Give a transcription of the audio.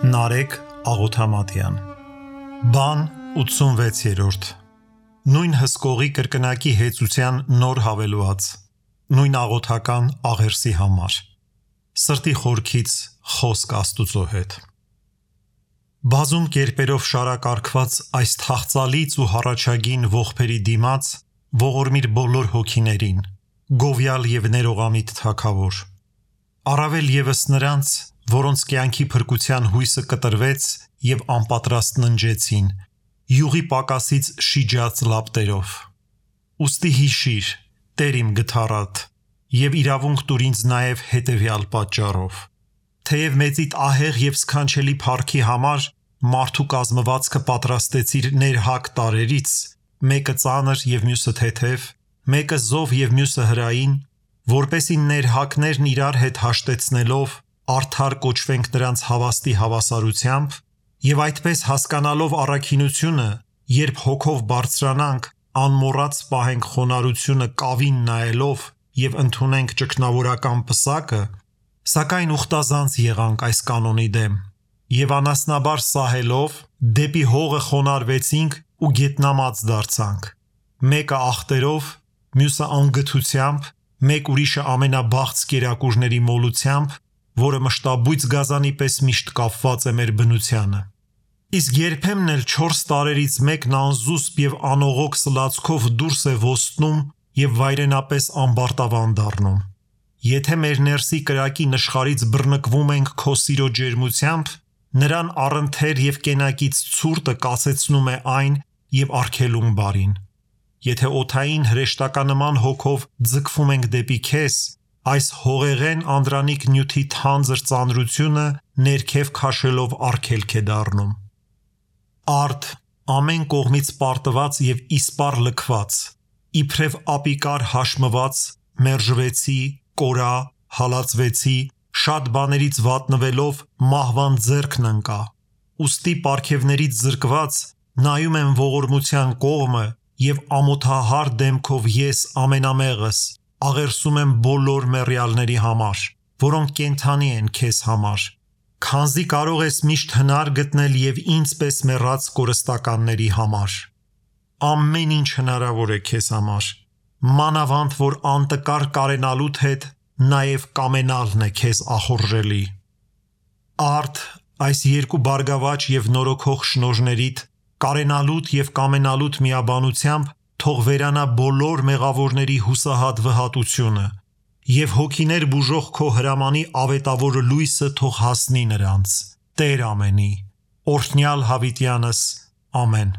Նարեկ Աղոթամատյան Բան 86-րդ Նույն հսկողի կրկնակի հեծության նոր հավելված Նույն աղոթական աղերսի համար Սրտի խորքից խոսք Աստուծո հետ Բազում կերպերով շարակարգված այս թախծալից ու հառաջագին ողբերի դիմաց ողորմիր բոլոր հոգիներին գովյալ և ներողամիտ թագավոր Առավել ևս նրանց որոնց կյանքի փրկության հույսը կտրվեց և անպատրաստ ննջեցին, յուղի պակասից շիջած լապտերով։ Ուստի հիշիր, Տեր իմ գթառատ, և իրավունք տուր ինձ նաև հետևյալ պատճառով։ Թեև մեծիդ ահեղ և սքանչելի փառքի համար մարդու կազմվածքը պատրաստեցիր ներհակ տարրերից, մեկը ծանր և մյուսը թեթև, մեկը զով և մյուսը հրային, որպեսզի ներհակներն իրար հետ հաշտեցնելով արդար կոչվենք նրանց հավաստի հավասարությամբ և այդպես հասկանալով առաքինությունը, երբ հոգով բարձրանանք, անմոռաց պահենք խոնարհությունը կավին նայելով և ընդունենք ճգնավորական պսակը, սակայն ուխտազանց եղանք այս կանոնի դեմ և անասնաբար սահելով դեպի հողը խոնարհվեցինք ու գետնամած դարձանք, մեկը ախտերով, մյուսը անգթությամբ, մեկ ուրիշը ամենաբաղձ կերակուրների մոլությամբ, որը մշտաբույծ գազանի պես միշտ կապված է մեր բնությանը։ Իսկ երբեմն էլ 4 տարրերից մեկն անզուսպ և անողոք սլացքով դուրս է ոստնում և վայրենապես ամբարտավան դառնում։ Եթե մեր ներսի կրակի նշխարից բռնկվում ենք քո սիրո ջերմությամբ, նրան առընթեր և կենակից ցուրտը կասեցնում է այն և արգելում բարին։ Եթե օդային հրեշտականման հոգով ձգվում ենք դեպի քեզ, այս հողեղեն անդրանիկ նյութի թանձր ծանրությունը ներքև քաշելով արգելք է դառնում։ Արդ, ամեն կողմից պարտված և իսպառ լքված, իբրև ապիկար հաշմված, մերժվեցի, կորա, հալածվեցի, շատ բաներից վատնվելով մահվան ձեռքն ընկա, ուստի պարգևներից զրկված նայում եմ ողորմության կողմը և ամոթահար դեմքով ես ամենամեղս աղերսում եմ բոլոր մեռյալների համար, որոնք կենդանի են քեզ համար, քանզի կարող ես միշտ հնար գտնել և ինձ պես մեռած կորստականների համար։ Ամեն ինչ հնարավոր է քեզ համար, մանավանդ որ անտկար կարենալուդ հետ նաև կամենալն է քեզ ախորժելի։ Արդ, այս երկու բարգավաճ և նորոգող շնորհներիդ, կարենալուդ և կամենալուդ միաբանությամբ թող վերանա բոլոր մեղավորների հուսահատ վհատությունը և հոգիներ բուժող քո հրամանի ավետավոր լույսը թող հասնի նրանց, Տեր ամենի, օրհնյալ հավիտյանս, ամեն։